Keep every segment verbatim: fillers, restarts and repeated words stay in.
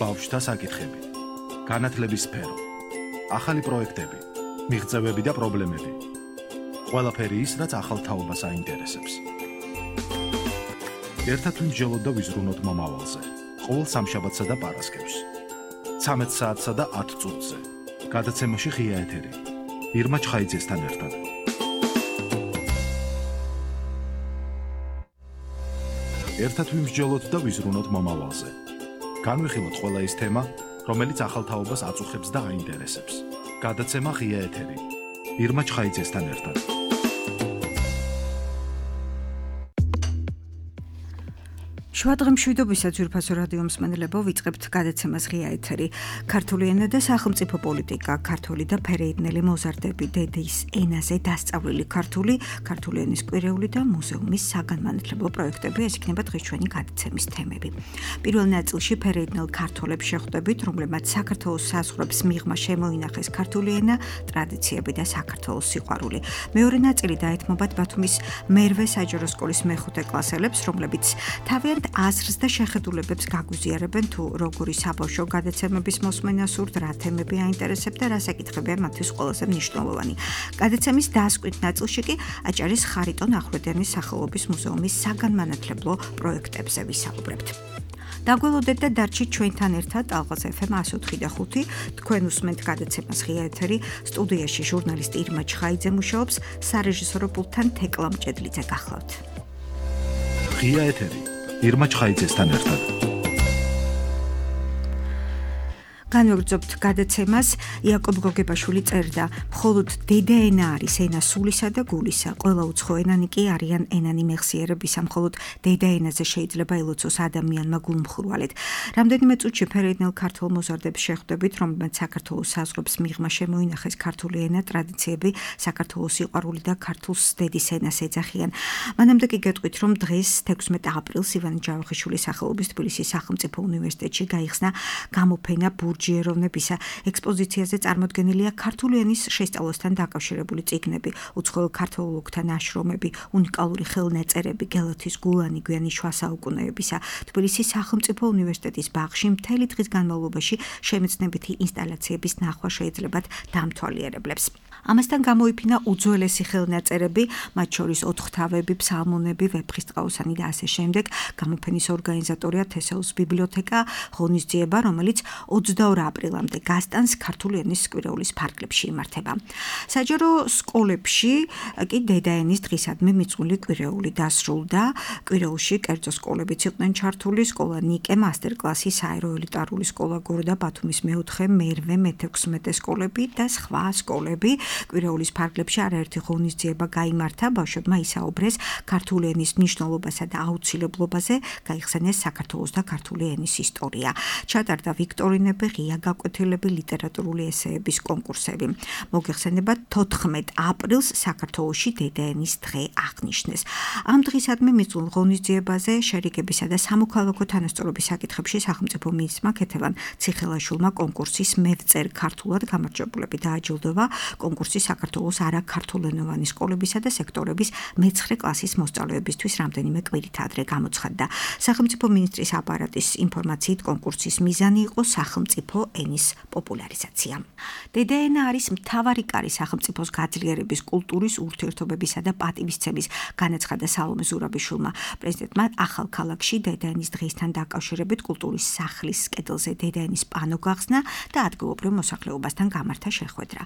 ბავშვთა საკითხები, განათლების სფერო, ახალი პროექტები, მიღწევები და პრობლემები. ყველაფერი ის, რაც ახალ თაობას აინტერესებს. ერთად ვიმსჯელოთ და ვიზრუნოთ მომავალზე. ყოველ სამშაბათსა და პარასკევს. ცამეტ საათსა და ათ წუთზე. გადაცემაში ღია ეთერი. ირმა ჩხაიძესთან ერთად. ერთად ვიმსჯელოთ და ვიზრუნოთ მომავალზე. განვიხილოთ ყველა ის თემა, რომელიც ახალ თაობას აწუხებს და აინტერესებს. გადაცემა ღია ეთერი. ირმა ჩხაიძესთან ერთად. შუადღემშვიდობისა ძვირფასო რადიო მსმენელებო, ვიწყებთ გადაცემას ღია ეთერი. ქართული ენა და სახელმწიფო პოლიტიკა, ქართული და ფერეიდნელი მოზარდები, დედის ენაზე დასწავლილი ქართული, ქართული ენის კვირეული და მუზეუმის საგანმანათლებლო პროექტები, ეს იქნება დღეს ჩვენი გადაცემის თემები. პირველ ნაწილში ფერეიდნელ ქართველებს შეხვდებით, რომლებმაც საქართველოს საზღვრებს მიღმა შემოინახეს ქართული ენა, ტრადიციები და საქართველოს სიყვარული. მეორე ნაწილი დაეთმობათ ბათუმის მერვე საჯარო სკოლის მეხუთე კლასელებს, რომლებიც თავიანთ აზრს და შეხედულებებს გაგვიზიარებენ თუ როგორი საბავშვო გადაცემების მოსმენა სურთ, რა თემები აინტერესებთ და რა საკითხებია მათთვის ყველაზე მნიშვნელოვანი. გადაცემის დასკვით ნაწილში კი აჭარის ხარიტონ ახვლედიანის სახელობის მუზეუმის საგანმანათლებლო პროექტებზე ვისაუბრებთ. დაგველოდეთ და დარჩით ჩვენთან ერთად ალღაზ ეფ ემ εκατო ოთხი და ხუთი. თქვენ უსმენთ გადაცემას ღია ეთერი. სტუდიაში ჟურნალისტი ირმა ჩხაიძე მუშაობს, სარეჟისორო პულტთან თეკლა მჭედლიძე გახლავთ. ღია ეთერი. ირმა ჩხაიძესთან ერთად. განვაგრძობთ გადაცემას. იაკობ გოგებაშვილი წერდა, მხოლოდ დედა ენა არის ენა სულისა და გულისა. ყველა უცხო ენანი კი არიან ენანი მეხსიერებისა. მხოლოდ დედა ენაზე შეიძლება ელოცოს ადამიანმა გულმხურვალედ. რამდენიმე წუთში ფერეიდნელ ქართულ მოზარდებს შეხვდებით, რომლებმაც საქართველოს საზღვრებს მიღმა შემოინახეს ქართული ენა, ტრადიციები, საქართველოს სიყვარული და ქართულს დედის ენას ეძახიან. მანამდე კი გეტყვით, რომ დღეს თექვსმეტ აპრილს ივანე ჯავახიშვილის სახელობის თბილისის სახელმწიფო უნივერსიტეტში გაიხსნა გამოფენა ჯეროვნებისა ექსპოზიციაზე წარმოდგენილია ქართული ენის შესწავლასთან დაკავშირებული წიგნები, უცხოელ ქართველთა ნაშრომები, უნიკალური ხელნაწერები, გელათის გულანი გვიანი შუა საუკუნეებისა. თბილისის სახელმწიფო უნივერსიტეტის ბაღში მთელი დღის განმავლობაში შემეცნებითი ინსტალაციების ნახვა შეიძლებათ დამთვალიერებლებს. ამასთან გამოიფინა უძველესი ხელნაწერები, მათ შორის ოთხთავები, ფსალმუნები, ვეფხისტყაოსანი და ასე შემდეგ. გამოფენის ორგანიზატორია თესეულის ბიბლიოთეკა ღონისძიება, რომელიც ოცდაორ აპრილამდე გასტანს ქართული ენის კვირეულის ფარგლებში იმართება. საჯარო სკოლებში კი დედა ენის დღისადმი მიწვული კვირეული დასრულდა. კვირეულში კერძო სკოლებიც იყვნენ ჩართული, სკოლა ნიკე, მასტერკლასი, საერო ელიტარული სკოლა გორდა, ბათუმის მეოთხე, მერვე, მეთექვსმეტე სკოლები და სხვა სკოლები. კვირეულის ფარგლებში არაერთი ღონისძიება გაიმართა, ბავშვებმა ისაუბრეს ქართული ენის მნიშვნელობასა და აუცილებლობაზე, გაიხსენეს საქართველოს და ქართული ენის ისტორია. ჩატარდა ვიქტორინები, ღია გაკვეთილები, ლიტერატურული ესეების კონკურსები. მოგეხსენებათ, თოთხმეტ აპრილს საქართველოში დედა ენის დღე აღნიშნეს. ამ დღისადმი მიწველ ღონისძიებაზე შერიგებისა და სამოქალაქო თანასწორობის საკითხებში სახელმწიფო მინისტრმა ქეთევან ციხელაშვილმა კონკურსის მევწერ ქართულად გამარჯვებულები დააჯილდოვა. კონკურსი საქართველოს არაქართულენოვანი სკოლებისა და სექტორების მეცხრე კლასის მოსწავლეებისთვის რამდენიმე კვირით ადრე გამოცხადდა. სახელმწიფო მინისტრის აპარატის ინფორმაციით კონკურსის მიზანი იყო სახელმწიფო ენის პოპულარიზაცია. დედა ენა არის მთავარი კარი სახელმწიფოს გაძლიერების, კულტურის, ურთიერთობებისა და პატივისცემის, განაცხადა სალომე ზურაბიშვილმა. პრეზიდენტმა ახალ ქალაქში დედა ენის დღისთან დაკავშირებით კულტურის სახლის კედელზე დედა ენის პანო გახსნა და ადგილობრივ მოსახლეობასთან გამართა შეხვედრა.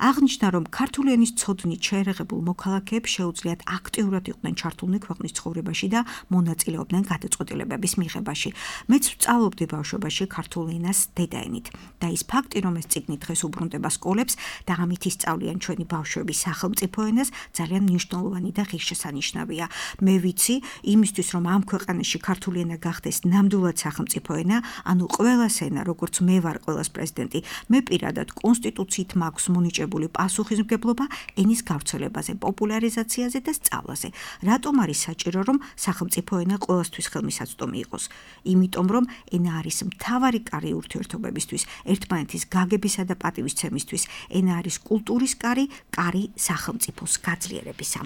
აღნიშნა, რომ ქართული ენის ცოდნით შეერაღებულ მოქალაქეებს შეუძლიათ აქტიურად იყვნენ ჩართულნი ქვეყნის ცხოვრებაში და მონაწილეობდნენ გადაწყვეტილებების მიღებაში. მეც ვსწავლობდი ბავშვობაში ქართულ ენას დედა ენით. და ის ფაქტი, რომ ეს წიგნი დღეს უბრუნდება სკოლებს და ამით ისწავლიან ჩვენი ბავშვები სახელმწიფო ენას, ძალიან მნიშვნელოვანი და ღირსშესანიშნავია. მე ვიცი, იმისთვის, რომ ამ ქვეყანაში ქართული ენა გახდეს ნამდვილად სახელმწიფო ენა, ანუ ყველას ენა, როგორც მე ვარ ყველას პრეზიდენტი, მე პირადად კონსტიტუციით მაქვს მონიჭებული პასუხისმგებლობა ენის გავრცელებაზე, პოპულარიზაციაზე და სწავლაზე. რატომ არის საჭირო, რომ სახელმწიფო ენა ყველასთვის ხელმისაწვდომი იყოს? იმიტომ, რომ ენა არის მთავარი კარი ურთიერთობებისთვის, ერთმანეთის გაგებისა და პატივისცემისთვის. ენა არის კულტურის კარი, კარი სახელმწიფოს გაძლიერებისა.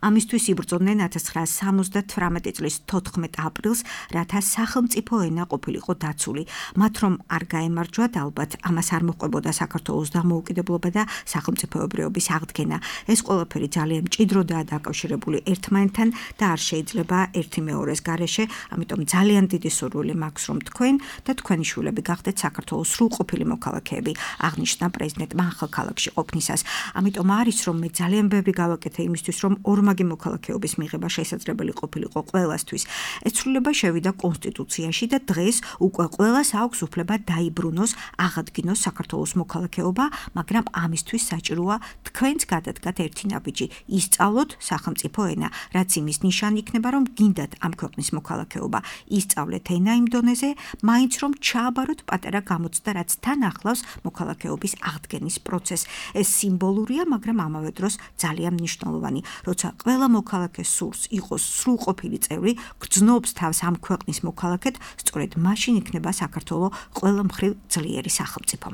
ამისთვის იბრძოდნენ ათას ცხრაასი სამოცდათვრამეტი წლის თოთხმეტ აპრილს, რათა სახელმწიფო ენა ყოფილიყო დაცული. მათ რომ არ გაემარჯვათ, ალბათ ამას არ მოჰყვებოდა საქართველოს დამოუკიდებლობა და სახელმწიფოებრიობის აღდგენა. ეს ყველაფერი ძალიან მჭიდროდაა დაკავშირებული ერთმანეთთან და არ შეიძლება ერთი მეორეს გარეშე, ამიტომ ძალიან დიდი სურვილი მაქვს, რომ თქვენ და თქვენი შვილები გახდეთ საქართველოს სრულყოფილი მოქალაქეები, აღნიშნა პრეზიდენტმა ახალქალაქში ყოფნისას. ამიტომ არის რომ მე ძალიან ბევრი გავაკეთე იმისთვის, რომ ორმაგი მოქალაქეობის მიღება შესაძლებელი ყოფილიყო ყველასთვის. ეს ცვლილება შევიდა კონსტიტუციაში და დღეს უკვე ყველას აქვს უფლება დაიბრუნოს, აღადგინოს საქართველოს მოქალაქეობა, მაგრამ ამისთვის საჭიროა თქვენც გადადგათ ერთი ნაბიჯი, ისწავლოთ სახელმწიფო ენა, რაც იმის ნიშანი იქნება, რომ გინდათ ამ ქვეყნის მოქალაქეობა, ისწავლეთ ენა იმ დონეზე, მაინც რომ ჩააბაროთ პატარა გამოცდა, რაც თან ახლავს მოქალაქეობის აღდგენის პროცესს. ეს სიმბოლურია, მაგრამ ამავე დროს ძალიან მნიშვნელოვანი. როცა ყველა მოქალაქე სურს იყოს სრულყოფილი წევრი, გრძნობს თავს ამ ქვეყნის მოქალაქედ, სწორედ მაშინ იქნება საქართველო ყველა მხრივ ძლიერი სახელმწიფო.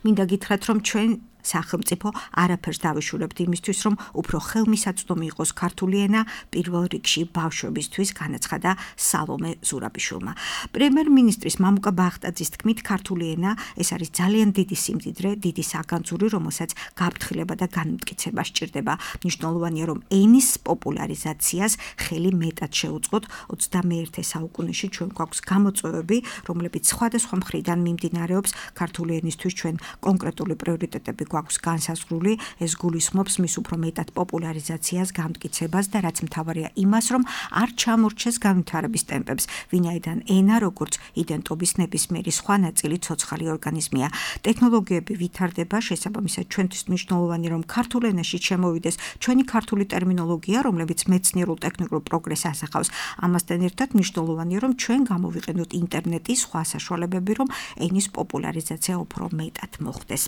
მინდა გითხრათ, რომ ჩვენ სახელმწიფო არაფერს დავიშურებთ იმისთვის, რომ უფრო ხელმისაწვდომი იყოს ქართული ენა, პირველ რიგში ბავშვებისთვის, განაცხადა სალომე ზურაბიშვილმა. პრემიერ-მინისტრის მამუკა ბახტაძის თქმით, ქართული ენა ეს არის ძალიან დიდი სიმდიდრე, დიდი საგანძური, რომელსაც გაფრთხილება და განმტკიცება სჭირდება. მნიშვნელოვანია, რომ ენის პოპულარიზაციას ხელი მეტად შეუწყოთ. ოცდამეერთე საუკუნეში ჩვენ გვაქვს გამოწვევები, რომლებიც სხვადასხვა მხრიდან მიმდინარეობს. ქართული ენისთვის ჩვენ კონკრეტული პრიორიტეტები გვაქვს განსაზღვრული, ეს გულისხმობს მის უფრო მეტად პოპულარიზაციას, განმტკიცებას და რაც მთავარია იმას, რომ არ ჩამორჩეს განვითარების ტემპებს, ვინაიდან ენა როგორც იდენტობის ნებისმიერი სხვა ნაწილი ცოცხალი ორგანიზმია. ტექნოლოგიები ვითარდება, შესაბამისად ჩვენთვის მნიშვნელოვანი, რომ ქართულ ენაში შემოვიდეს ჩვენი ქართული ტერმინოლოგია, რომლებიც მეცნიერულ ტექნიკურ პროგრესს ასახავს. ამასთან ერთად მნიშვნელოვანია, რომ ჩვენ გამოვიყენოთ ინტერნეტის სხვა საშუალებები, რომ ენის პოპულარიზაცია უფრო მეტად მოხდეს.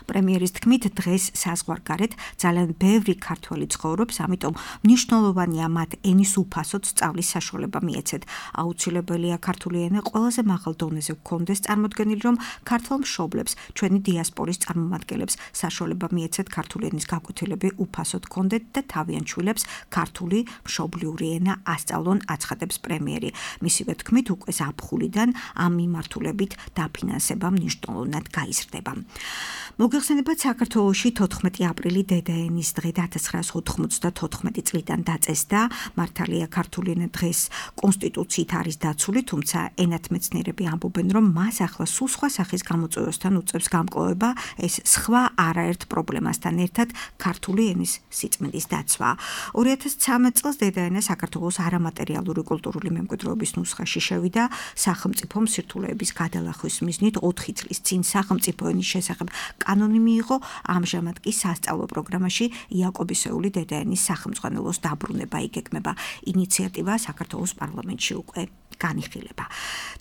პრემიერის თქმით, დღეს საზღვარგარეთ ძალიან ბევრი ქართველი ცხოვრობს, ამიტომ მნიშვნელოვანია მათ ენის უფასოდ სწავლის საშუალება მიეცეთ. აუცილებელია ქართული ენა ყველაზე მაღალ დონეზე გქონდეს წარმოდგენილი, რომ ქართველ მშობლებს, ჩვენი დიასპორის წარმომადგენლებს საშუალება მიეცეთ ქართული ენის გაკვეთილები უფასოდ გქონდეთ და თავიანთ შვილებს ქართული მშობლიური ენა ასწავლონ, აცხადებს პრემიერი. მისივე თქმით, უკვე ზაფხულიდან ამ მიმართულებით დაფინანსება მნიშვნელოვნად გაიზრდება. მოგეხსენებათ, საქართველოში თოთხმეტი აპრილი დედაენის დღე და ათას ცხრაასი ოთხმოცდათოთხმეტი წლიდან დაწესდა. მართალია ქართული ენა დღეს კონსტიტუციით არის დაცული, თუმცა ენათმეცნიერები ამბობენ, რომ მას ახლა სულ სხვა სახის გამოწვევასთან უწევს გამკლავება, ეს სხვა არაერთ პრობლემასთან ერთად ქართული ენის სიწმინდის დაცვა. ორი ათას ცხრამეტ წელს დედაენა საქართველოს არამატერიალური კულტურული მემკვიდრეობის ნუსხაში შევიდა. სახელმწიფო სირთულეების გადალახვის მიზნით ოთხი წლის წინ სახელმწიფო ენის შესახებ კანონი მიიღო, ამჟამად კი სასწავლო პროგრამაში იაკობისეული დედაენის სახელმძღვანელოს დაბრუნება იგეგმება. ინიციატივა საქართველოს პარლამენტში უკვე განიხილება.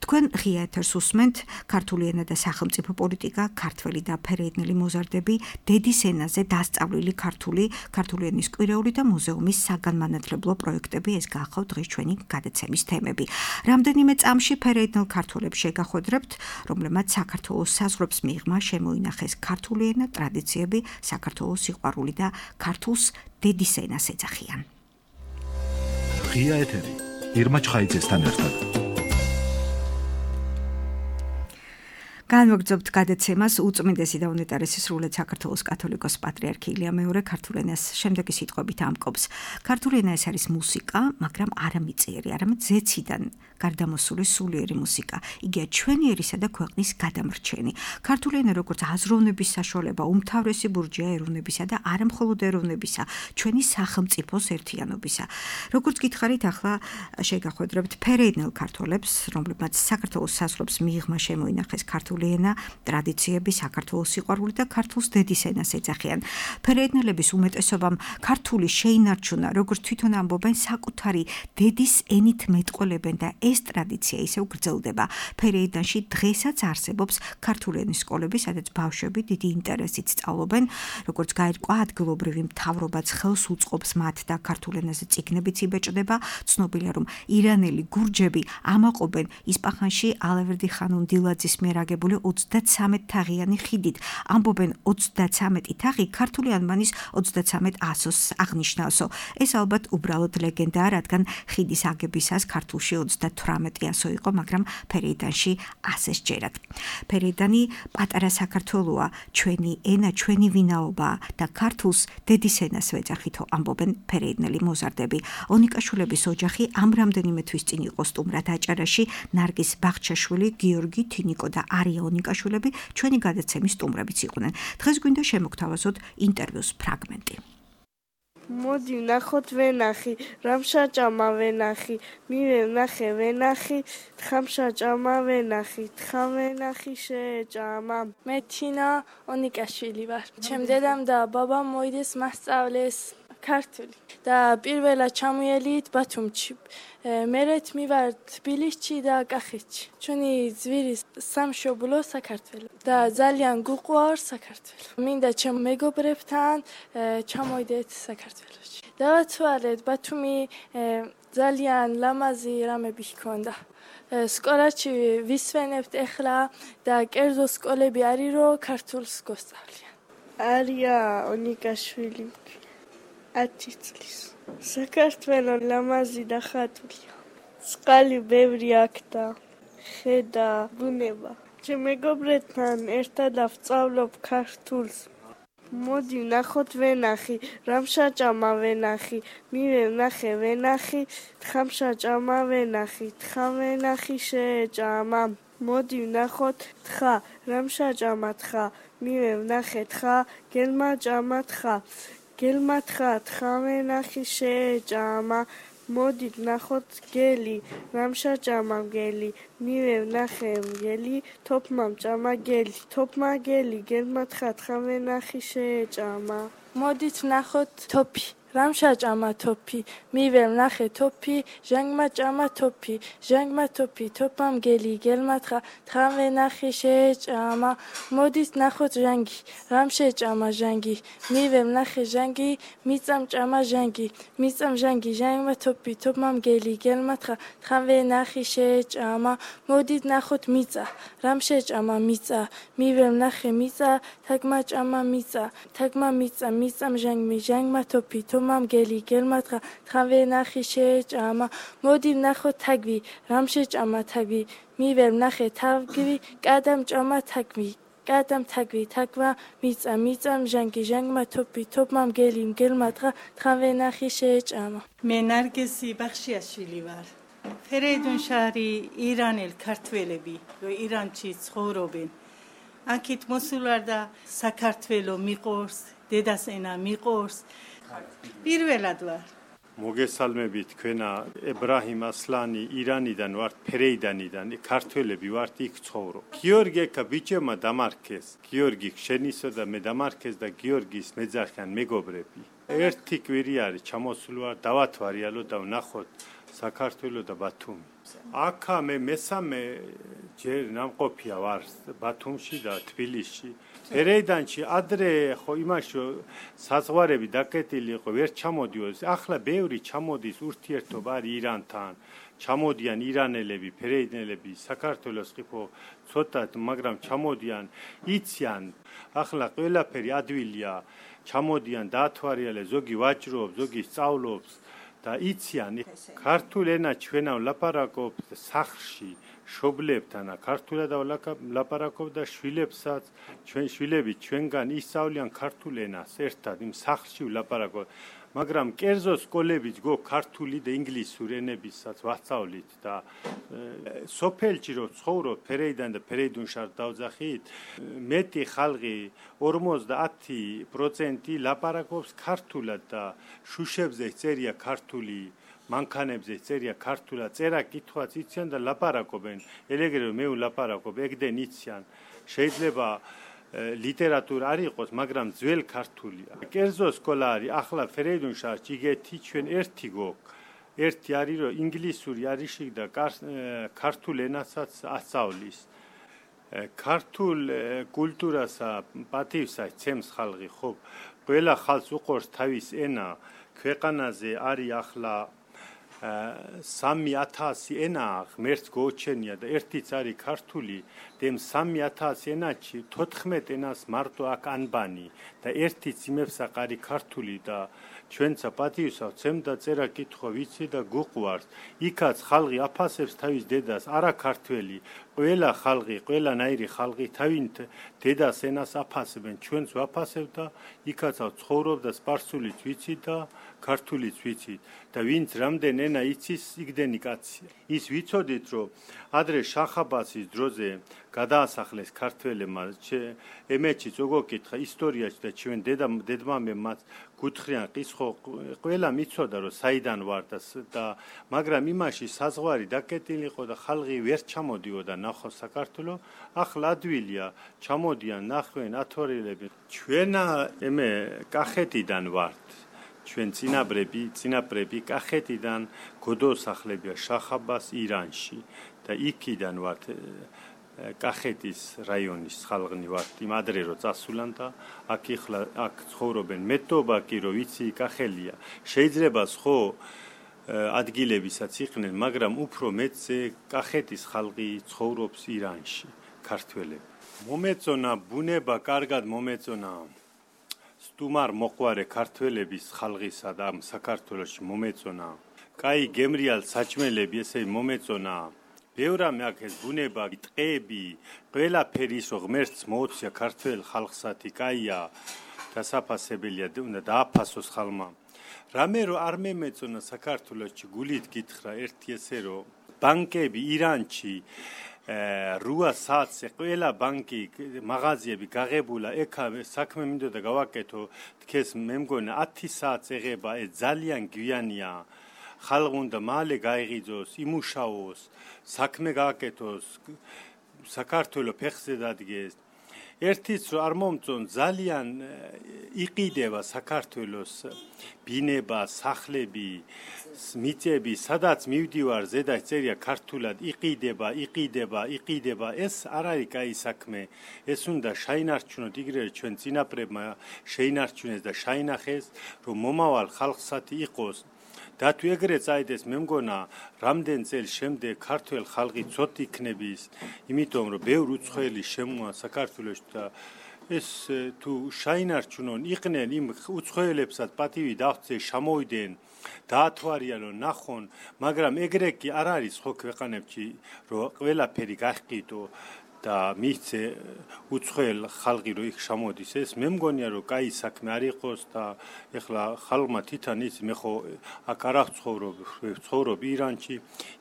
თქვენ ღია ეთერს უსმენთ, ქართული ენა და სახელმწიფო პოლიტიკა, ქართველი და ფერეიდნელი მოზარდები, დედის ენაზე დასწავლილი ქართული, ქართული ენის კვირეული და მუზეუმის საგანმანათლებლო პროექტები, ეს გახავთ დღეს ჩვენი გადაცემის თემები. რამდენიმე წამში ფერეიდნელ ქართველებს შეგახვედრებთ, რომლებმაც საქართველოს საზღვრებს მიღმა შემოინახეს ქართული ენა, ტრადიციები, საქართველოს სიყვარული და ქართულს დედის ენას ეძახიან. ღია ეთერი ირმა ჩხაიძესთან ერთად. განვაგრძობთ გადაცემას უწმინდესი და უნეტარესი სრულად საქართველოს კათოლიკოს პატრიარქი ილია მეორე ქართულ ენას შემდეგი სიტყვებით ამკობს. ქართული ენა ეს არის მუსიკა, მაგრამ არა მიწიერი, არამედ ზეციდან გარდამოსული სულიერი მუსიკა. იგია ჩვენი ერისა და ქვეყნის გადამრჩენი. ქართული ენა როგორც აზროვნების საშუალება, უმთავრესი ბურჯია ეროვნებისა და არა მხოლოდ ეროვნებისა, ჩვენი სახელმწიფოს ერთიანობისა. როგორც გითხარით, ახლა შეგახვედრებთ ფერეიდნელ ქართველებს, რომლებმაც საქართველოს საზღვრებს მიღმა შემოინახეს ქართული ენა, ტრადიციები, საქართველოს სიყვარული და ქართულს დედის ენას ეძახიან. ფერეიდნელების უმეტესობამ ქართული შეინარჩუნა, როგორც თვითონ ამბობენ, საკუთარი დედის ენით მეტყველებენ და ეს ტრადიცია ისევ გრძელდება. ფერეიდანში დღესაც არსებობს ქართული ენის სკოლები, სადაც ბავშვები დიდი ინტერესით სწავლობენ, როგორც გაირკვა ადგილობრივი მთავრობაც ხელს უწყობს მათ და ქართულ ენაზე წიგნებიც იბეჭდება. ცნობილია, რომ ირანელი გურჯები ამაყობენ ისპაჰანში ალავერდი ხანუმ დილაძის მიერ აგებულ გადახურული ოცდაცამეტ თაღიანი ხიდით. ამბობენ ოცდაცამეტი თაღი ქართული ანბანის ოცდაცამეტ ასოს აღნიშნავსო. ეს ალბათ უბრალოდ ლეგენდაა, რადგან ხიდის აგებისას ქართულში ოცდათვრამეტი ასო იყო, მაგრამ ფერეიდანში ასე სჯერათ. ფერეიდანი პატარა საქართველოა, ჩვენი ენა, ჩვენი ვინაობა და ქართულს დედის ენას ვეძახითო, ამბობენ ფერეიდნელი მოზარდები. ონიკაშვილების ოჯახი ამ რამდენიმე თვის წინ იყო სტუმრად აჭარაში. ნარგის ბაღჩაშვილი, გიორგი თინიკო და არია ონიკაშვილები ჩვენი გადაცემის სტუმრებიც იყვნენ. დღეს გვინდა შემოგთავაზოთ ინტერვიუს ფრაგმენტი. მოდი ვნახოთ ვენახი, რამშაჭამა ვენახი, მივე ვნახე ვენახი, თხამშაჭამა ვენახი, თხა ვენახი შეეჭამა. მე თინა ონიკაშვილი ვარ. ჩემ დედამ და ბაბამ მოიდეს მასწავლეს ქართული და პირველად ჩამოიელით ბათუმში. მერეთ მივარ თბილისში და კახეთში. ჩვენი ძვირის სამშობლო საქართველო და ძალიან გუყვარს საქართველო. მინდა ჩემ მეგობრებთან ჩამოვიდეთ საქართველოში. დავაცვალეთ ბათუმი ძალიან ლამაზი რამები ჰქონდა. სკოლაში ვისვენებთ ახლა და კერძო სკოლები არის რომ ქართულს გოსწავლიან. არია ონიკაშვილი ათი წლის. საქართველო ლამაზი და ხატულია. წყალი ბევრი აქ და ხედა ბუნება. ჩემ მეგობრებთან ერთად ვსწავლობ ქართულს. მოდი ვნახოთ ვენახი, რამშაჭამა ვენახი, მივე ვნახე ვენახი, თხამშაჭამა ვენახი, თხა ვენახი შეეჭამა. მოდი ვნახოთ თხა, რამშაჭამა თხა, მივე ვნახე თხა, გელმა ჭამა თხა. გელმა თხა, თხა ვენახი შეეჭამა. მოდით ვნახოთ გელი, რამშაჭამა მგელი, მივე ვნახე მგელი, თოფმა მჭამა გელი, თოფმა გელი, გელმა თხა, თხა ვენახი შეეჭამა. მოდით ვნახოთ თოფი, რამშაჭამა თოფი, მივე ვნახე თოფი, ჟანგმა ჭამა თოფი, ჟანგმა თოფი, თოფმა მგელი, გელმა თხა, თხა ვენახი შეეჭამა. მოდით ვნახოთ ჟანგი, რამშეჭამა ჟანგი, მივე ვნახე ჟანგი, მიწამ ჭამა ჟანგი, მიწამ ჟანგი, ჟანგმა თოფი, თოფმა მგელი, გელმა თხა, თხა ვენახი შეეჭამა. მოდით ვნახოთ მიწა, რამშეჭამა მიწა, მივე ვნახე მიწა, თაგმა ჭამა მიწა, თაგმა მიწა, მიწამ ჟანგმი, ჟანგმა თოფი, თოფმა მგელი, გელმა თხა, თხა ვენახი შეეჭამა. მოდი ვნახოთ თაგვი, რამშეჭამა თაგვი, მივე ვნახე თაგვი, კადამ ჭამა თაგვი, კადამ თაგვი, თაგმა მიწა, მიწამ ჟანგი, ჟანგმა თოფი, თოფმა მგელი, მგელმა თხა, თხა ვენახი შეეჭამა. მე ნარგესი ბახშიაშვილი ვარ. ფერეიდუნში არის ირანელ ქართველები, რომ ირანში ცხოვრობენ. აქეთ მოსულარ და საქართველო მიყორს, დედას ენა მიყორს. პირველად ვარ. მოგესალმებით თქვენა ებრაჰიმ ასლანი ირანიდან ვართ, ფერეიდანიდან, ქართველები ვართ, იქ ცხოვრობ. გიორგი ეკა ბიჭებმა დამარქეს. გიორგი ხშენისო და მე დამარქეს და გიორგის მეძახიან მეგობრები. ერთი კვირი არის ჩამოსული ვარ, დავათვალიალო და ვნახოთ საქართველო და ბათუმი. აქა მე მესამე ჯერ ნამყოფია ვარ ბათუმში და თბილისში. ფერეიდანში ადრე ხო იმაში საზღვარები დაკეტილი იყო, ვერ ჩამოდიოდეს. ახლა ბევრი ჩამოდის, ურთიერთობა არის ირანთან. ჩამოდიან ირანელები, ფერეიდნელები, საქართველოს ყიფო ცოტათ, მაგრამ ჩამოდიან, იციან. ახლა ყველაფერი ადვილია. ჩამოდიან, დაათვალიალე, ზოგი ვაჭრობს, ზოგი სწავლობს და იციან. ქართულ ენა ჩვენა ვლაპარაკობთ სახლში. შობლებთან ქართულად ვლაპარაკობ და შვილებსაც ჩვენ შვილები ჩვენგან ისწავლიან ქართულ ენას ერთად იმ სახლში ვლაპარაკობ მაგრამ კერძო სკოლებიც გო ქართული და ინგლისური ენებისაც ვასწავლით და სოფელში რო ცხოვრობ ფერეიდან და ფერეიდუნში დავძახით მეტი ხალხი ორმოცდაათი პროცენტი ლაპარაკობს ქართულად და შუშებზე წერია ქართული მანქანებზე წერია ქართულად, წერა კითხვაც იციან და ლაპარაკობენ. ელეგრე მე ვლაპარაკობ, ეგდენ იციან. შეიძლება ლიტერატურა არ იყოს, მაგრამ ძველ ქართულია. კერძო სკოლა არის, ახლა ფერეიდუნში იგეთი ჩვენ ერთი გოგ. ერთი არის რომ ინგლისური არის და ქართულ ენასაც ასწავლის. ქართულ კულტურასა, პატივსა ცემს ხალხი, ხო? ყველა ხალხს უყურს თავის ენა. ქვეყანაზე არის ახლა სამი ათასი ენა ღმერთს გოჩენია და ერთიც არის ქართული და სამი ათასი ენაში თოთხმეტ ენას მარტო აქ ანბანი და ერთიც იმებს აყარი ქართული და ჩვენცა პატიოსა ცემდა წერა კითხვა ვიცი და გუყვარს იქაც ხალხი აფასებს თავის დედას არა ქართველი ყველა ხალხი ყველანაირი ხალხი თავით დედას ენას აფასებენ ჩვენც ვაფასებ და იქაც ცხოვრობ და სპარსულიც ვიცი და ქართულიც ვიცით და ვინც რამდენ ენა იცის იქდენი კაცია ის ვიცოდით რომ ადრე შახ-აბასის დროზე გადაასახლეს ქართველებმა ემეჩი ზოგოკითხა ისტორიაში და ჩვენ დედა დედმამებმაც გუთხრიან ყისხო ყველა მიცოდა რომ საიდან ვარ და მაგრამ იმაში საზღვარი დაკეტილი იყო და ხალხი ვერ ჩამოდიოდა ნახო საქართველოს ახლა ადვილია ჩამოდიან ნახვენ ათორილები ჩვენ ემე კახეთიდან ვართ ჩვენ წინაბრები წინაპრები კახეთიდან გოდოსახლებია შახ-აბას ირანში და იქიდან ვართ კახეთის რაიონის ხალხნი ვართ იმ ადრე რო წასულან და აქ იხლა აქ ცხოვრობენ მეტობა კი რო ვიცი კახელია შეიძლება ხო ადგილებისაც იყვნენ მაგრამ უფრო მეტზე კახეთის ხალხი ცხოვრობს ირანში ქართველები მომეწონა ბუნება კარგად მომეწონა სტუმარ მოყვარე ქართველების ხალხისა და საქართველოში მომეწონა კაი გემრიალ საჭმელები ესე მომეწონა ბევრა მეაქეს ბუნება ტყეები ყველაფერი ისო ღმერთს მოუწია ქართველ ხალხსათი კაია დასაფასებელია უნდა დააფასოს ხალმა რამე რო არ მემეწონა საქართველოში გულით გითხრა ერთი ესე რომ ბანკები ირანში რუა საათზე ყველა ბანკი მაღაზიები გაღებულა ეკა საქმე მინდოდა გავაკეთო თქეს მე მგონა ათი საათს ეღება ეს ძალიან გვიანია ხალხი უნდა მალე გაიღიძოს იმუშაოს საქმე გააკეთოს საქართველოს ფეხზე დადგეს ერთიც რომ არ მომწონ ძალიან იყიდება საქართველოს ბინება სახლები მიწები სადაც მივდივარ ზედა წერია ქართულად იყიდება იყიდება იყიდება ეს არ არის კაი საქმე ეს უნდა შეინარჩუნოთ იგრე ჩვენ წინაპრებმა შეინარჩუნეს და შეინახეს რომ მომავალ ხალხსათი იყოს და თუ ეგრე წაიდეს მე მგონა რამდენ წელს შემდეგ ქართულ ხალხი ცოტ იქნების იმიტომ რომ ბევრ უცხოელი შემოა საქართველოში და ეს თუ შეინარჩუნონ იყვნენ იმ უცხოელებსაც პატივი დააღწეს შემოვიდნენ დაათვალიერონ ნახონ მაგრამ ეგრე კი არ არის ხო ქვეყანებში რომ ყველაფერი გაჰყიდო და მისცე უცხოელ ხალხი რო იქ შემოდის ეს მე მგონია რომ კაი საქმე არ იყოს და ეხლა ხალხმა თვითონ ის მე ხო აქ არ აღცხოვრობ ცხოვრობ ირანში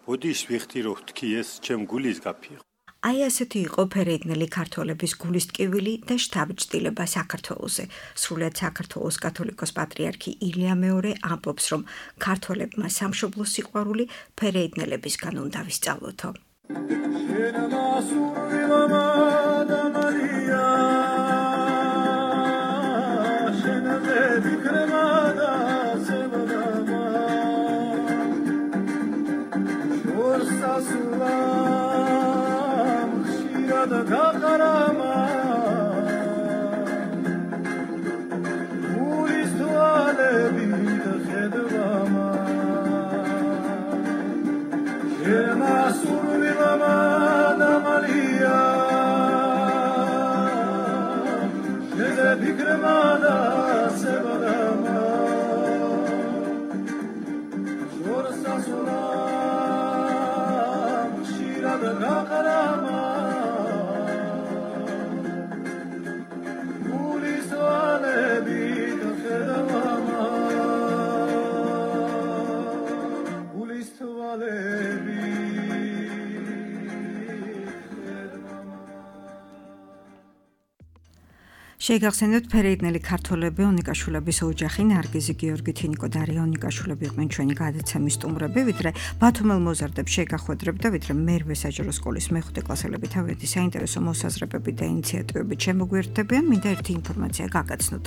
ბოდიშ ვიხდი რომ თქვი ეს ჩემ გულის გაფი აი ასეთი იყო ფერეიდნელი ქართველების გულის ტკივილი და შთაბეჭდილება საქართველოზე. სრულიად საქართველოს კათოლიკოს პატრიარქი ილია მეორე ამბობს, რომ ქართველებმა სამშობლოს სიყვარული ფერეიდნელებისგან უნდა ვისწავლოთო. da kakarama Uristuale bida khedvama Ema survilama da Maria Neze bikremada sevadama Shorsa sulam shira da kakarama Შეგახსენებთ ფერეიდნელი ქართველები ონიკაშვილების ოჯახი ნარგიზი გიორგი თინიკო და არია ონიკაშვილები იყვნენ ჩვენი გადაცემის სტუმრები ვიდრე ბათუმელ მოზარდებს შეგახვედრებთ და ვიდრე მერვე საჯარო სკოლის მეხუთე კლასელები თავიანთი საინტერესო მოსაზრებები და ინიციატივებით შემოგვიერთდებიან მინდა ერთი ინფორმაცია გაგაცნოთ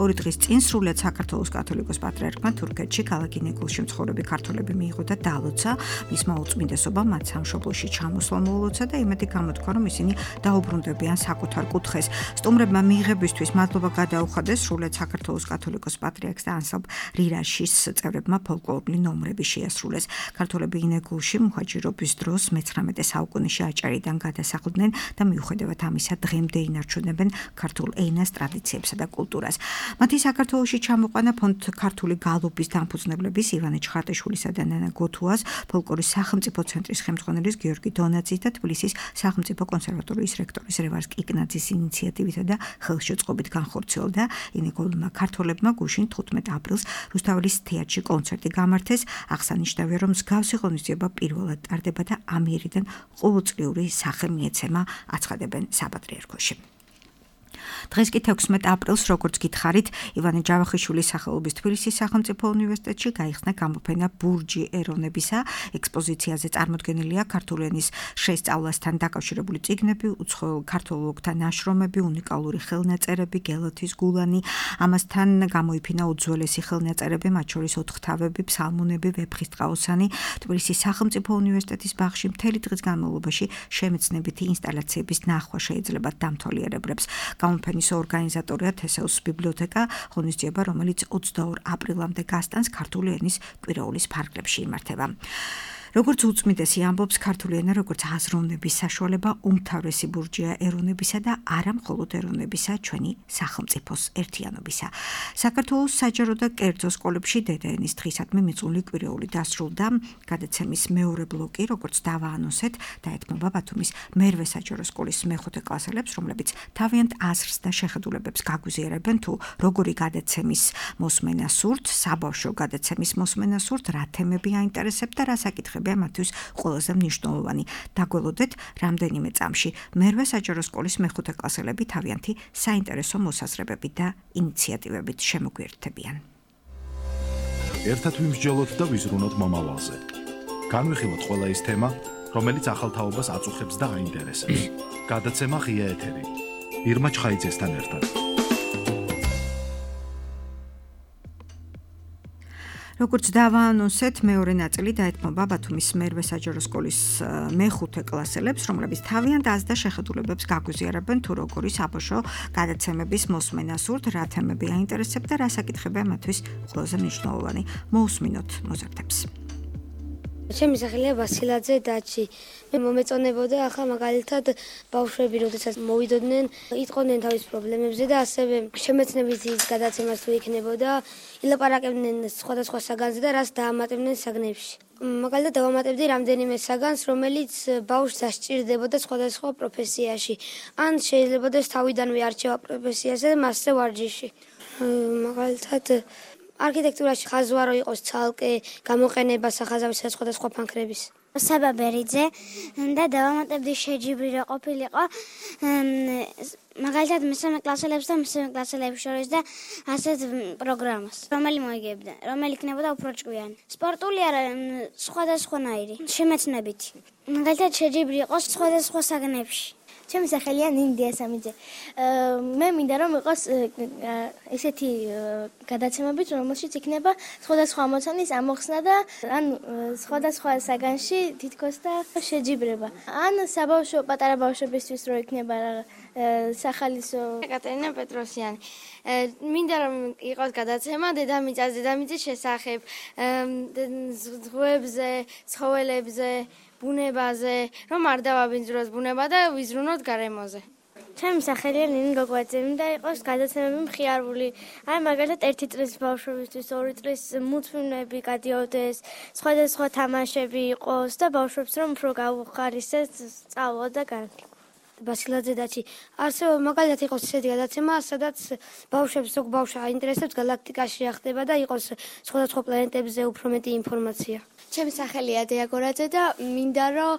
ორი დღის წინ სრულიად საქართველოს კათოლიკოს პატრიარქმა თურქეთში ქალაქ ინეგულში მცხოვრები ქართველები მიიღო და დალოცა მისმა უწმინდესობამ მათ სამშობლოში ჩამოსვლა მოულოცა და იმედი გამოთქვა რომ ისინი დაუბრუნდებიან საკუთარ კუთხეს სტუმრებმა მიღებისთვის მადლობა გადაუხადეს სრულად საქართველოს კათოლიკოს პატრიარქს და ანსამბლ რირაშის წევრებმა ფოლკლორული ნომრები შეასრულეს. ქართველები ინეგულში მუჰაჯირობის დროს მეცხრამეტე საუკუნეში აჭარიდან გადასახლდნენ და მიუხედავად ამისა დღემდე ინარჩუნებენ ქართულ ენას, ტრადიციებსა და კულტურას. მათი საქართველოში ჩამოყვანა ფონდ ქართული გალობის დამფუძნებლების ივანე ჩხარტიშვილისა და ნანა გოთუას, ფოლკლორის სახელმწიფო ცენტრის ხელმძღვანელის გიორგი დონაძის და თბილისის სახელმწიფო კონსერვატორიის რექტორის რევაზ კიკნაძის ინიციატივითა და ხელშეწყობით განხორციელდა. ინეგულმა ქართველებმა გუშინ თხუთმეტ აპრილს რუსთაველის თეატრში კონცერტი გამართეს. აღსანიშნავია, რომ მსგავსი ღონისძიება პირველად ტარდება და ამიერიდან ყოველწლიური სახე მიეცემა, აცხადებენ საპატრიარქოში. დღეს კი თექვსმეტ აპრილს, როგორც გითხარით, ივანე ჯავახიშვილის სახელობის თბილისის სახელმწიფო უნივერსიტეტში გაიხსნა გამოფენა ბურჯი ეროვნებისა. ექსპოზიციაზე წარმოდგენილია ქართული ენის შესწავლასთან დაკავშირებული წიგნები, უცხოელ ქართველთა ნაშრომები, უნიკალური ხელნაწერები, გელათის გულანი. ამასთან გამოიფინა უძველესი ხელნაწერები, მათ შორის ოთხთავები, ფსალმუნები, ვეფხისტყაოსანი. თბილისის სახელმწიფო უნივერსიტეტის ბაღში მთელი დღის განმავლობაში შემეცნებითი ინსტალაციების ნახვა შეიძლება დამთვალიერებლებს. გამოფენის ორგანიზატორია თესეუს ბიბლიოთეკა, ღონისძიება, რომელიც ოცდაორ აპრილამდე გასტანს ქართული ენის კვირაულის ფარგლებში იმართება. როგორც უწმიდესი ამბობს, ქართული ენა როგორც აზროვნების საშუალება უმთავრესი ბურჯია ეროვნებისა და არა მხოლოდ ეროვნებისა, ჩვენი სახელმწიფოს ერთიანობისა. საქართველოს საჯარო და კერძო სკოლებში დედაენის დღისადმი მიწვეული კვირეული დასრულდა. გადაცემის მეორე ბლოკი, როგორც დავაანონსეთ, დაეთმობა ბათუმის მერვე საჯარო სკოლის მეხუთე კლასელებს, რომლებიც თავიანთ აზრს და შეხედულებებს გაგვიზიარებენ თუ როგორი გადაცემის მოსმენა სურთ, საბავშვო გადაცემის მოსმენა სურთ, რა თემები აინტერესებთ და რა საკითხები მათთვის ყველაზე მნიშვნელოვანი. დაგველოდეთ, რამდენიმე წამში მერვე საჯარო სკოლის მეხუთე კლასელები თავიანთი საინტერესო მოსაზრებებით და ინიციატივებით შემოგვიერთდებიან. ერთად ვიმსჯელოთ და ვიზრუნოთ მომავალზე. განვიხილოთ ყველა ის თემა, რომელიც ახალთაობას აწუხებს და აინტერესებს. გადაცემა ღია ეთერი. ირმა ჩხაიძესთან ერთად. როგორც დავაანონსეთ, მეორე ნაწილი დაეთმობა ბათუმის მერვე საჯარო სკოლის მეხუთე კლასელებს, რომლებიც თავიანთ აზრს და შეხედულებებს გაგვიზიარებენ თუ როგორი საბავშვო გადაცემების მოსმენა სურთ, რა თემები აინტერესებთ და რა საკითხებია მათთვის ყველაზე მნიშვნელოვანი. მოусმინოთ მოზარდებს. ჩემი სახელია ვასილაძე დაჩი. მე მომეწონებოდა ახლა მაგალითად ბავშვები, როდესაც მოვიდოდნენ, იტყოდნენ თავის პრობლემებზე და ასევე შემეცნებითი გადაცემას თუ იქნებოდა, ილაპარაკებდნენ სხვადასხვა საგანზე და რას დაამატებდნენ საგნებში. მაგალითად დავამატებდი რამდენიმე საგანს, რომელიც ბავშვს დასჭირდებოდა სხვადასხვა პროფესიაში. ან შეიძლება და თავიდანვე არჩევა პროფესიაზე და მასზე ვარჯიში. მაგალითად არქიტექტურაში ხაზვარო იყოს ცალკე გამოყენება სახაზავისა სხვადასხვა ფანქრების. საბა ბერიძე და დავამატებდი შეჯიბრი რა ყოფილიყო მაგალითად მესამე კლასელებს და მესამე კლასელებს შორის და ასეთ პროგრამას, რომელი მოიგებდა, რომელი იქნებოდა უფრო ჭკვიანი. სპორტული არა, სხვადასხვანაირი, შემეცნებითი. მაგალითად შეჯიბრი იყოს სხვადასხვა საგნებში. ჩემი სახელია ნინდია სამიძე. მე მინდა რომ იყოს ესეთი გადაცემებით, რომელშიც იქნება სხვადასხვა ამოცანის ამოხსნა და ან სხვადასხვა საგანში თითქოს და შეჯიბრება. ან საბავშვო პატარა ბავშვებისთვის რო იქნება სახალისო. ეკატერინა პეტროსიანი. მინდა რომ იყოს გადაცემა დედამიწას, დედამიწის შესახებ, ზღვებზე, ცხოველებზე, ბუნებაზე, რომ არ დავაბინძუროს ბუნება და ვიზრუნოთ გარემოზე. ჩემი სახელია ნინი გოგოაძე, მინდა იყოს გადაცემები მხიარული. აი მაგალითად ერთი წლის ბავშვებისთვის, ორი წლის მულტფილმები გადიოდეს, სხვადასხვა თამაშები იყოს და ბავშვებს რომ უფრო გაუხარისეს სწავლა და განათლება. ვასილაძე დაჩი. ასევე მაგალითად იყოს ესეთი გადაცემა, სადაც ბავშვებს ზოგ ბავშვს აინტერესებს galaktikაში რა ხდება და იყოს სხვადასხვა პლანეტებზე უფრო მეტი ინფორმაცია. ჩემი სახელია დიაგორაძე და მინდა რომ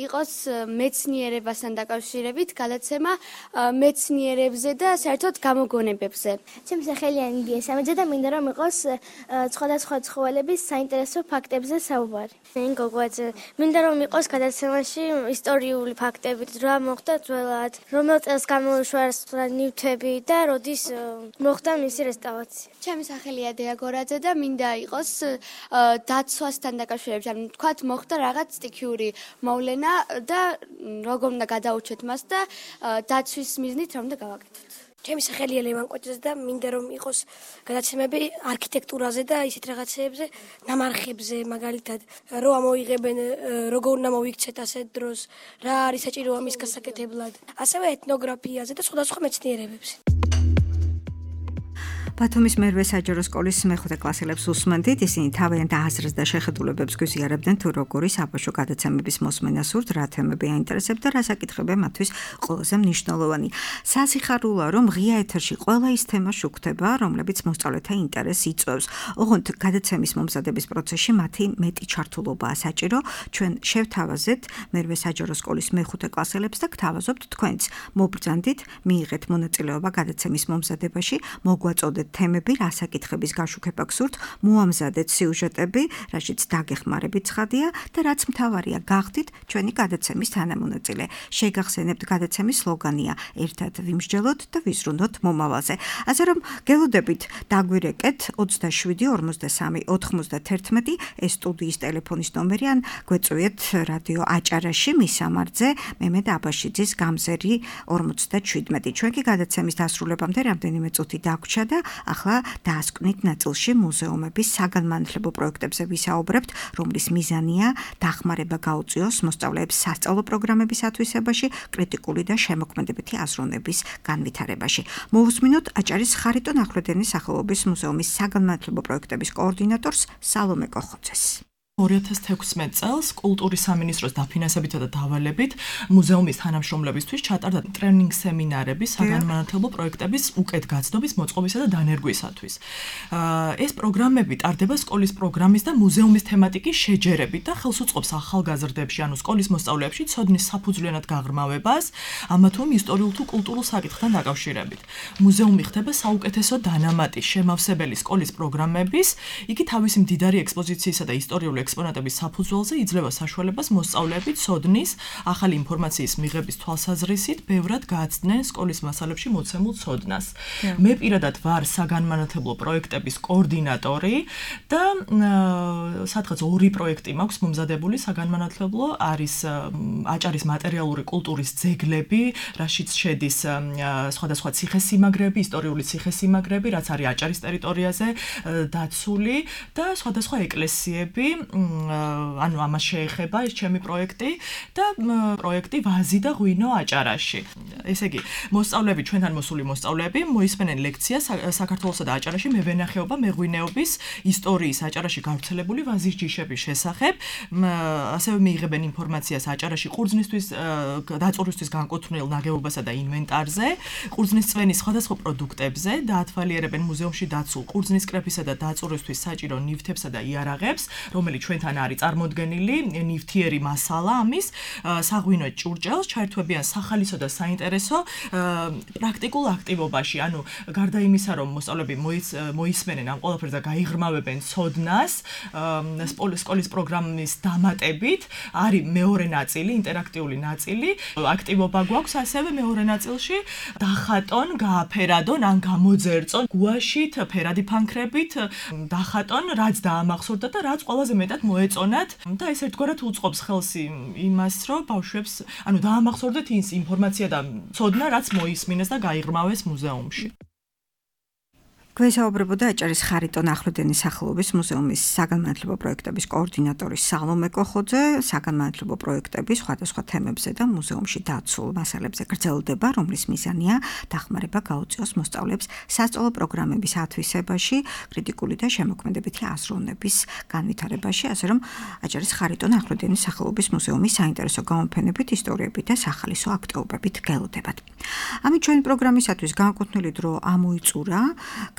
იყოს მეცნიერებასთან დაკავშირებით გადაცემა მეცნიერებზე და საერთოდ გამოგონებებზე. ჩემი სახელია ნინდია სამიძე და მინდა რომ იყოს სხვადასხვა ცხოველების საინტერესო ფაქტებზე საუბარი. ნინი გოგოაძე, მინდა რომ იყოს გადაცემაში ისტორიული ფაქტები, რა მოხდა ძველად, რომელ წელს გამოუშვა ნივთები და როდის მოხდა მისი რესტავრაცია. ჩემი სახელია დიაგორაძე და მინდა იყოს დაცვასთან დაკავშირებით, ანუ თქვათ მოხდა რაღაც სტიქიური მოვლენა და როგორ უნდა გადაურჩეთ მას და დაცვის მიზნით რომ უნდა გავაკეთოთ. ჩემი სახელია ლევან კოჭიძე და მინდა რომ იყოს გადაცემები არქიტექტურაზე და ისეთ რაღაცეებზე, ნამარხებზე, მაგალითად, რო ამოიღებენ, როგორ უნდა მოიქცეთ ასეთ დროს, რა არის საჭირო ამის გასაკეთებლად, ასევე ეთნოგრაფიაზე და სხვადასხვა მეცნიერებებზე. ბათუმის მერვე საჯარო სკოლის მეხუთე კლასელებს უსმენთ, ისინი თავიანთ აზრს და შეხედულებებს გვიზიარებდნენ თუ როგორი საბავშვო გადაცემების მოსმენა სურთ, რა თემები აინტერესებთ და რა საკითხებია მათთვის ყველაზე მნიშვნელოვანი. სასიხარულოა, რომ ღია ეთერში ყველა ის თემა შუქდება, რომლებიც მოსწავლეთა ინტერესს იწვევს. ოღონდ გადაცემის მომზადების პროცესში მათი მეტი ჩართულობაა საჭირო. ჩვენ შევთავაზეთ მერვე საჯარო სკოლის მეხუთე კლასელებს და გთავაზობთ თქვენც. მობრძანდით, მიიღეთ მონაწილეობა გადაცემის მომზადებაში, მოგვაწოდეთ თემები, რა საკითხების გაშუქება გსურთ, მოამზადეთ სიუჟეტები, რაშიც დაგეხმარებით ცხადია და რაც მთავარია, გახდით ჩვენი გადაცემის თანამონაწილე. შეგახსენებთ გადაცემის სლოგანია: ერთად ვიმსჯელოთ და ვიზრუნოთ მომავალზე. ასე რომ გელოდებით დაგვირეკეთ ოცდაშვიდი ორმოცდასამი ოთხმოცდაათერთმეტი ეს სტუდიის ტელეფონის ნომერი ან გვეწვიეთ რადიო აჭარაში მის სამარძე მემედ აბაშიძის გამზერი ორმოცდაჩვიდმეტი. ჩვენ კი გადაცემის დასრულებამდე რამდენიმე წუთი დაგვრჩა და ახლა დაასკვნით ნაწილში მუზეუმების საგანმანათლებლო პროექტებზე ვისაუბრებთ, რომლის მიზანია დახმარება გაუწიოს მოსწავლეებს სასწავლო პროგრამების ათვისებაში, კრიტიკული და შემოქმედებითი აზროვნების განვითარებაში. მოვუსმინოთ აჭარის ხარიტონ ახვლედენის სახელობის მუზეუმის საგანმანათლებლო პროექტების კოორდინატორს სალომე კოხოძეს. ორი ათას თექვსმეტ წელს კულტურის სამინისტროს დაფინანსებითა და დავალებით მუზეუმის თანამშრომლებისთვის ჩატარდა ტრენინგ სემინარები საგანმანათლებლო პროექტების უკეთგაცნობის, მოწყობისა და დანერგვისათვის. ეს პროგრამები ტარდება სკოლის პროგრამის და მუზეუმის თემატიკის შეჯერებით და ხელს უწყობს ახალგაზრდებში, ანუ სკოლის მოსწავლეებში ცოდნის საფუძვლიანად გაღრმავებას, ამა თუ იმ ისტორიულ თუ კულტურულ საკითხთან დაკავშირებით. მუზეუმი ხდება საუკეთესო დანამატის შემავსებელი სკოლის პროგრამების, იგი თავისი მდიდარი ექსპოზიციისა და ისტორიული ექსპონატების საფუძველზე იძლევა საშუალებას მოსწავლეები ცოდნის, ახალი ინფორმაციის მიღების თვალსაზრისით ბევრად გააცდნენ სკოლის მასალებში მოცემულ ცოდნას. მე პირადად ვარ საგანმანათლებლო პროექტების კოორდინატორი და სადღაც ორი პროექტი მაქვს მომზადებული საგანმანათლებლო, არის აჭარის მატერიალური კულტურის ძეგლები, რაშიც შედის სხვადასხვა ციხესიმაგრეები, ისტორიული ციხესიმაგრეები, რაც არის აჭარის ტერიტორიაზე დაცული და სხვადასხვა ეკლესიები, ანუ ამას შეეხება ეს ჩემი პროექტი და პროექტი ვაზი და ღვინო აჭარაში. ესე იგი, მოსწავლეები, ჩვენთან მოსული მოსწავლეები მოისმენენ ლექციას საქართველოსა და აჭარაში მევენახეობა, მეღვინეობის ისტორიის აჭარაში გავრცელებული ვაზის ჯიშების შესახებ, ასევე მიიღებენ ინფორმაციას აჭარაში ყურძნისთვის დაწურვისთვის განკუთვნილ ნაგებობასა და ინვენტარზე, ყურძნის წვენის სხვადასხვა პროდუქტებზე, დაათვალიერებენ მუზეუმში დაცულ ყურძნის კრეფისა და დაწურვისთვის საჭირო ნივთებსა და იარაღებს, რომელიც ჩვენთან არის წარმოდგენილი, ნივთიერი მასალა ამის, საღვინო ჭურჭელს, ჩაერთვებიან სახალისო და საინტერესო პრაქტიკულ აქტივობაში, ანუ გარდა იმისა, რომ მოსწავლეები მოისმენენ ამ ყველაფერს და გაიღრმავებენ ცოდნას, სკოლის პროგრამის დამატებით არის მეორე ნაწილი, ინტერაქტიული ნაწილი, აქტივობა გვაქვს ასევე მეორე ნაწილში, დახატონ, გააფერადონ ან გამოძერწონ გუაშით, ფერადი ფანქრებით, დახატონ, რაც დაამახსოვრდა და რაც ყველაზე მეტად მოეწონათ და ეს ერთგვარად უწყობს ხელს იმას, რომ ბავშვებს, ანუ დაამახსოვრდეთ ის ინფორმაცია და ცოდნა, რაც მოისმინეს და გაიღრმავეს მუზეუმში. გვესაუბრებოდა აჭარის ხარიტონ ახვლედენის სახელობის მუზეუმის საგანმანათლებლო პროექტების კოორდინატორი სალომე კოხოძე, საგანმანათლებლო პროექტების სხვადასხვა თემებზე და მუზეუმში დაცულ მასალებზე გრძელდება, რომლის მიზანია დახმარება გაუწიოს მოსწავლეებს სასწავლო პროგრამების ათვისებაში, კრიტიკული და შემოქმედებითი აზროვნების განვითარებაში, ასე რომ აჭარის ხარიტონ ახვლედენის სახელობის მუზეუმის საინტერესო გამოფენებით, ისტორიებით და სახალისო აქტივობებით გელოდებათ. ამით ჩვენი პროგრამისათვის განკუთვნილი დრო ამოიწურა.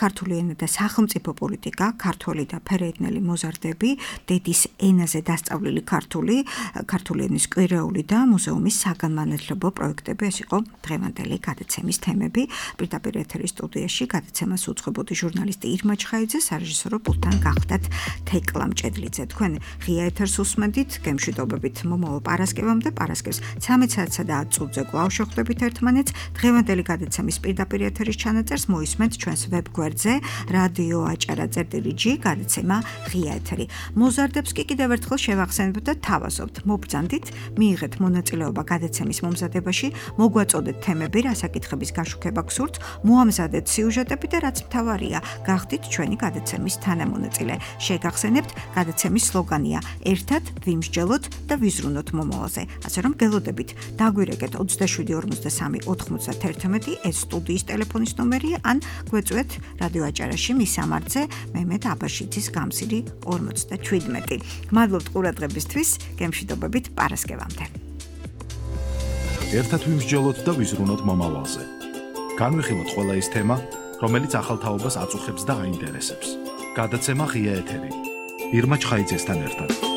ქართული ენა და სახელმწიფო პოლიტიკა, ქართველი და ფერეიდნელი მოზარდები, დედის ენაზე დასწავლილი ქართული, ქართული ენის კვირეული და მუზეუმის საგანმანათლებლო პროექტები, ეს იყო დღევანდელი გადაცემის თემები. პირდაპირ ეთერის სტუდიაში გადაცემას უძღვებოდი ჟურნალისტი ირმა ჩხაიძე, სარეჟისორო პულტთან გახდათ თეკლა მჭედლიძე. თქვენ ღია ეთერს უსმენთ, გემშვიდობებით მომავალ პარასკევამდე, პარასკევს ცამეტ საათსა და ათ წუთზე კვლავ შეხვდებით ერთმანეთს. დღევანდელი გადაცემის პირდაპირ ეთერის ჩანაწერს მოისმენთ ჩვენს ვებგვერდ მისამართზე რადიო აჭარა წერტილი ჯი გადაცემა ღია ეთერი. მოზარდებს კი კიდევ ერთხელ შევახსენებთ და თავაზობთ. მობრძანდით, მიიღეთ მონაწილეობა გადაცემის მომზადებაში, მოგვაწოდეთ თემები, რა საკითხების გაშუქება გსურთ, მოამზადეთ სიუჟეტები და რაც მთავარია, გახდით ჩვენი გადაცემის თანამონაწილე. შეგახსენებთ, გადაცემის სლოგანია: ერთად ვიმსჯელოთ და ვიზრუნოთ მომავალზე. ასე რომ გელოდებით, დაგვირეკეთ ოცდაშვიდი ორმოცდასამი ოთხმოცდაერთმეტი ეს სტუდიის ტელეფონის ნომერია ან გვეწვეთ რადიო აჭარაში მისამართზე მემედ აბაშიძის გამზირი ორმოცდაჩვიდმეტი. გმადლობთ ყურადღებისთვის, გემშვიდობებით პარასკევამდე. ერთად ვიმსჯელოთ და ვიზრუნოთ მომავალზე. განვიხილოთ ყველა ის თემა, რომელიც ახალ თაობას აწუხებს და აინტერესებს. გადაცემა ღია ეთერი. ირმა ჩხაიძესთან ერთად.